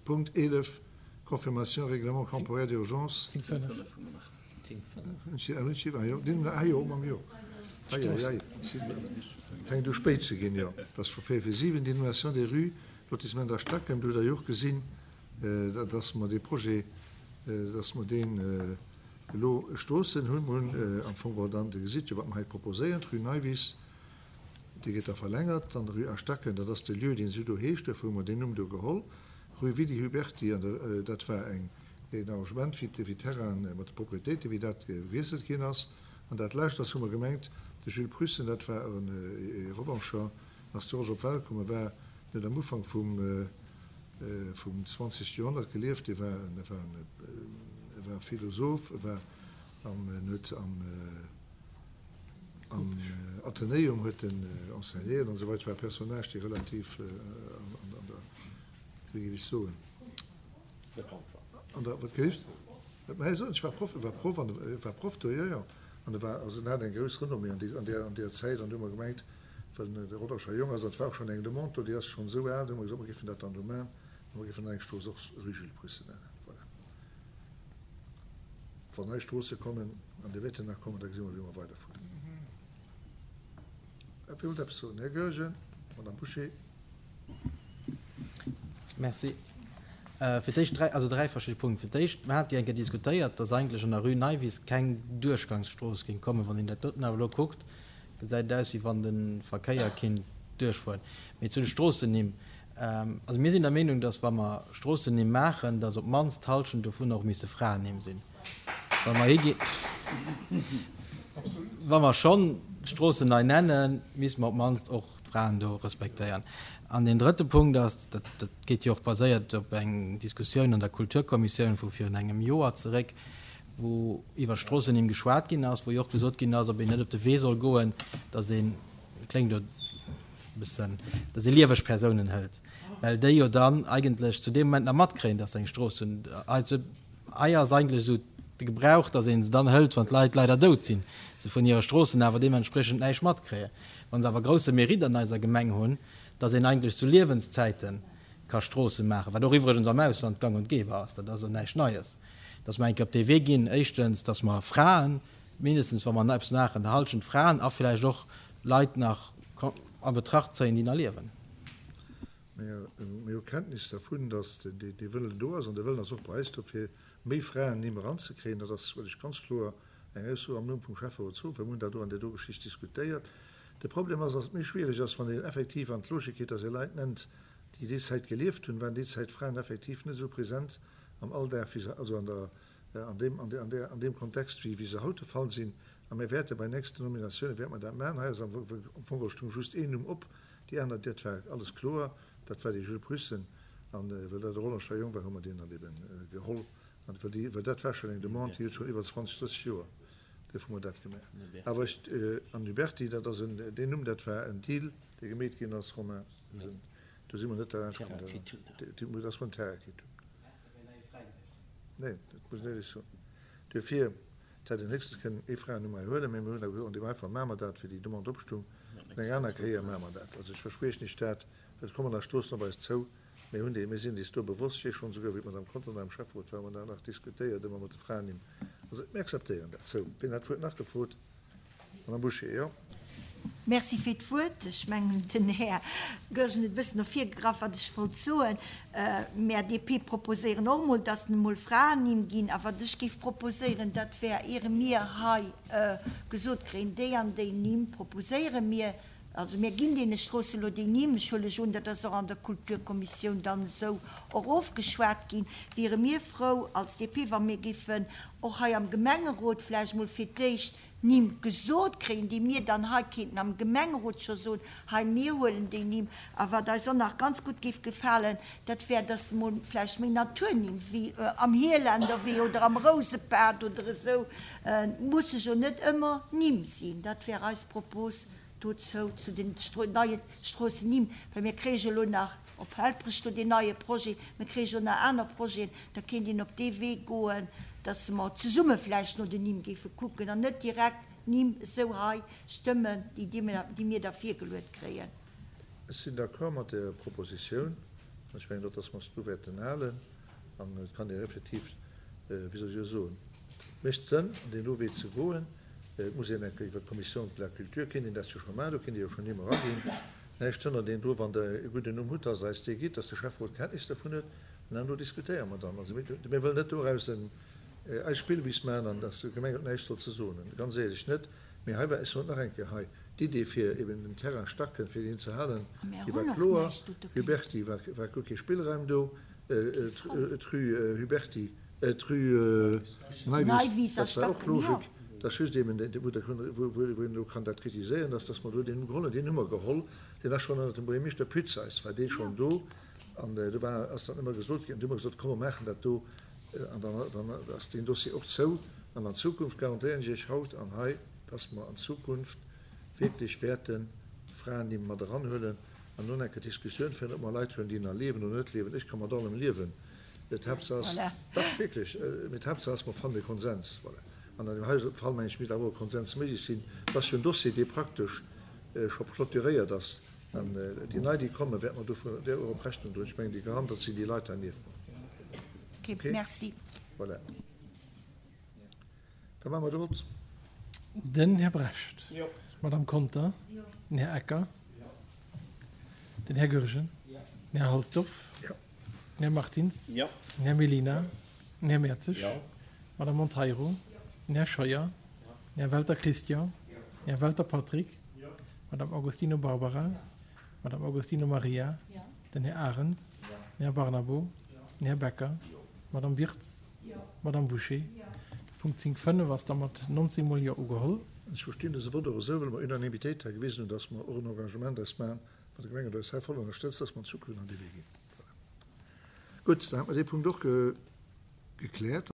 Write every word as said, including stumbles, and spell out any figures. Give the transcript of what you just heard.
Punkt eelef, Confirmation règlement temporaire d'urgence. Zéng fënnef. Zéng fënnef. Ah jo, mam jo. Ei, ei, ei. Et fänkt u spéit ze ginn, jo. Dat ass vu véier vir siwen. Dénomination des rues, Lotissement der Stacken. Do hutt Der jo och gesinn, dass mer dee Projet, dass mer deen elo Stroossen hunn. Mer hunn am Fong geholl dann, Dir gesitt jo, wat mer hei proposéieren, d'Rue Neiwiss, déi gëtt da verlängert, dann d'Rue A Stacken, dat ass de Lieu, deen esou do heescht, duerfir hu mer deen Numm do geholl. Rue Willy Huberty, an dat war eng, een Arrangement, wéi wéi d'Terrainen mat de Propriétéiten, wéi dat gewiesselt ginn ass. An dat Lescht ass, hu mer gemengt, de Jules Prussen, dat war e Rodancher, ass zu Rosch op d'Welt komm, e war, en huet am Ufank vum, vum zwanzegste Joerhonnert gelieft, e war en, e war en, e war Philosoph, e war am, en huet am, am Athenäum huet en enseignéiert an esou weider, war e Personnage, dee relativ an, an, an der, wéi géif ech soen, Bekannt war. An der, wat géif? Mä ech war Proff, e war Proff an e war Proff do, jo, jo. An e war, also en hat eng grouss Renommée an déi, an där, an där Zäit. An du hu mer gemengt, well en e Rodangerer Jong ass, an et war och schonn eng Demande do, déi ass schonn esou al, du hu mer gesot, mer géifen dat dann do maachen, a mer géifen dann eng Strooss och Rue Jules Prusse nennen. Voilà. Wann nei Stroosse kommen, an déi wäerten nach kommen, da gesi mer, wéi mer weiderfueren. Wie wollt eppes soen? Här Goergen, Madame Bouché. Merci. Fir d'éischt dräi, also dräi verschidde Punkte. Fir d'éischt, mer hate jo eng Kéier diskutéiert, dass eigentlech an der Rue Neiwiss keng Duerchgangsstrooss géing kommen. Wann een dat doten awer elo kuckt, gesäit et aus, wéi wann de Verkéier kinnt duerchfueren. Mee zu de Stroossennimm, also mir sinn der Meenung, dass wa mer Stroossennimm maachen, dass op d'mannst d'Hallschent dovunner och misse Fraennimm sinn. Wa mer higi, wa mer schonn d'Stroossen nei nennen, misste mer op d'mannst och d'Fraen do respektéieren. An deen drëtte Punkt ass, dat dat geet jo och baséiert op eng Diskussioun an der Kulturkommissioun vu virun engem Joer zeréck, wou iwwer Stroossennimm geschwat ginn ass, wou jo och gesot ginn ass, ob een net op de Wee soll goen, dass een, kléngt elo e bëssen, dass ee lieweg Persounen hëlt, well déi jo dann eigentlech zu deem Moment nach matkréien, dass se eng Strooss hunn. Also hei ass eigentlech esou de Gebrauch, dass ee se dann hëlt, wann d'Leit leider dout sinn, se vun hire Stroossen awer deementspriechend näischt matkréien. Wa se awer grousse Mérite an eiser Gemeng hunn, dass een eigentlech zu Liewenszäite ka Stroosse maachen, wat och iwwregens am Ausland gang und gäbe ass, dat ass elo näischt Neies, dass mer eng Kéier op dee Wee ginn, éischtens, dass mer Fraen, mindestens wa mer eppes maachen, Halschent Fraen a vläicht och Leit nach a Betracht zéien, déi nach liewen. Mir hu Kenntnis dervun, dass dee Wëllen do ass, an dee Wëllen ass och bei eis do, fir méi Fraennimm eranzekréien. Dat ass, wëll ech ganz kloer eng Ausso am Numm vum Schäfferot soen, well mir hunn dat do an där do Geschicht diskutéiert. De Problem ass, dass et méi schwierig ass, wann een effektiv an d'Logik geet, dass ee Leit nennt, déi déi Zäit gelieft hunn, waren déi Zäit Fraen effektiv net esou present am Alldag, wéi se, also an der, an deem, an där, an deem Kontext, wéi, wéi se haut de Fall sinn. A mir wäerte bei nächsten Nominatiounen wäerte mer dat maachen. Hei ass am Fong stoung just een Numm op, déi aner, dat war alles kloer, dat war dee Jules Prussen. An well dat e Rollerscher Jong war, hu mer deen dann eben geholl. An well déi, well dat war schonn eng Demande, déi huet schonn iwwer zwanzeg, drësseg Joer, duerfir hu mer dat gemaach. Awer ech, an Huberty, dat ass en, deen Numm, dat war en Deal, dee gemeet ginn ass, Romain, do si mer net derlaanscht komm, dat ass mer en Terrain kritt hunn. Nee, dat muss een éierlech soen. Duerfir, et hätt een héchstens kënnen ee Fraennumm hei huelen, mee mir hunn da gesot, an deem Fall maache mer dat, wéi déi Demande opstung, an eng aner Kéier maache mer dat. Also ech verspriechen Iech dat, well et kommen nach Stroossen op eis zou. Mir hunn déi, mir sinn eis do bewosst, ech weess schonn esouguer, wéi d'Madame Conter nach am Schäfferot war, hu mer dat nach diskutéiert, ëmmer mat de Fraennimm. Also mir akzeptéieren dat. Sou, wien hat d'Wuert nach gefrot? Madame Bouché, jo. Merci fir d'Wuert. Ech mengen, den Här Goergen huet e bëssen no virgegraff, wat ech wollt soen. Mär D P proposéieren och emol, dass emol Fraennimm ginn. A wat ech géif proposéieren, dat wär, iere mir hei gesot kréien, déi an déi Nimm proposéiere mir, also mir ginn deene Stroosse elo déi Nimm, ech huele ech un, dat ass och an der Kulturkommissioun dann esou och ofgeschwat ginn, wiere mir frou als D P, wa mir géifen och hei am Gemengerot vläicht emol fir d'éischt Nimm gesot kréien, déi mir dann hei kéinten am Gemengerot scho soen, hei mir huelen déi Nimm. A wat eis och nach ganz gutt géif gefalen, dat wär, dass emol vläicht méi Naturnimm wéi am Hielenderwee oder am Rousebad oder esou, et musse jo net ëmmer Nimm sinn. Dat wär eis Propos dozou, zu den neie Stroossennimm, well mir kréie jo elo nach op Helperech do deen neie Projet, mir kréie jo nach aner Projeten, da kéint een op dee Wee goen, dass mer zesumme vläicht no den Nimm géife kucken an net direkt Nimm esou hei stëmmen, déi mir da virgeluet kréien. Ech sinn d'accord mat der Propositioun. An ech mengen och, dass mer eis do wäerten halen. An et kann een effektiv, wéi soll ech elo soen, et mécht Sënn, an deen do Wee ze goen. Et muss een eng Kéier iwwer d'Commission de la Culture, kéint een dat jo scho maachen, do kéint ee jo schonn Nimm eraginn. Näischt hënnert een do, wann Der e gudden Numm hutt, dass Der eis dee gitt, dass de Schäfferot Kenntnis dervun huet, an dann do diskutéiere mer dann. Also mir wëllen net doraus en eis Spillwiss maachen an dass de Gemengerot näischt soll ze soen hunn, ganz éierlech net. Mee hei war, ech soen et nach eng Kéier hei, d'Idee fir eben den Terrain Stacken, fir deen ze halen, déi war kloer. Huberty war war guer kee Spillraum do, d'Rue Huberty, d'Rue Neiwiss, dat war och Logik. Dat ass just eben, wou der, wou een elo kann dat kritiséieren, dass, dass mer do deen Numm geholl hunn. Deen hu mer geholl, deen ass schonn ënnert dem Buergermeeschter Pützeis war dee schonn do. An do war, ass dann ëmmer gesot ginn, an du hu mer gesot, komm mer maachen dat do, an dann, dann ass deen Dossier och zou. An an Zukunft garantéieren ech Iech haut an hei, dass mer an Zukunft wierklech wäerte Fraennimm mat eranhuelen an nun enke Diskussioun féieren, ob mer Leit huelen, déi nach liewen oder net liewen. Ech ka mat allem liewen. D'Haaptsaach ass, dach wierklech, mee d'Haaptsaach ass, mer fannen e Konsens. Voilà. An an deem hei Fall, mengen ech, misst awer och e Konsens méiglech sinn. Et ass jo en Dossier, dee praktesch scho clôturéiert ass. An déi nei, déi kommen, wäerte mer dovun där och op Rechnung droen. Ech mengen, déi Garant, dat sinn déi Leit hei nieft mer. Okay, merci. Voilà. Da maache mer de Vott. Den Här Brecht. Jo. D'Madame Conter. Jo. Den Här Ecker. Jo. Den Här Goergen. Jo. Den Här Halsdorf. Jo. Den Här Martins. Jo. Den Här Mellina. Den Här Mertzig. Jo. D'Madame Monteiro. Den Här Scheuer. Den Här Welter Christian. Den Här Welter Patrick. D'Madame Agostino Barbara. D'Madame Agostino Maria. Den Här Arendt. Den Här Barnabo. Den Här Becker. D'Madame Wirtz. D'Madame Bouché. De Punkt zéng fënnef ass da mat nonzéng mol Jo ugeholl. Ech verstinn dëse Vott och esou, well mer Unanimitéit hei gewisen hunn, dass mer och en Engagement eis maachen, mat der Gemeng, an eis hei voll ënnerstëtzt, dass mer an Zukunft an dee Wee ginn. Voilà. Gutt, dann hätte mer dee Punkt och gekläert.